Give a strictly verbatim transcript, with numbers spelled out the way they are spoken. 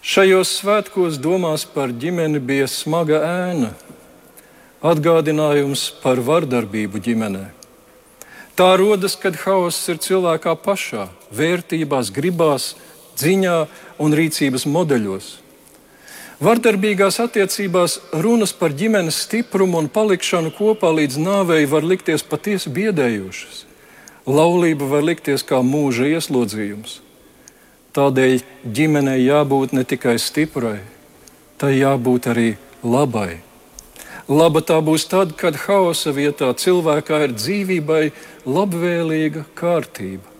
Šajos svētkos domās par ģimeni bija smaga ēna, atgādinājums par vardarbību ģimenē. Tā rodas, kad hauss ir cilvēkā pašā, vērtībās, gribās, dziņā un rīcības modeļos. Vardarbīgās attiecībās runas par ģimenes stiprumu un palikšanu kopā līdz nāvei var likties patiesi biedējošas. Laulība var likties kā mūža ieslodzījums. Tādēļ ģimenei jābūt ne tikai stiprai, tai jābūt arī labai. Laba tā būs tad, kad hausa vietā cilvēkā ir dzīvībai labvēlīga kārtība.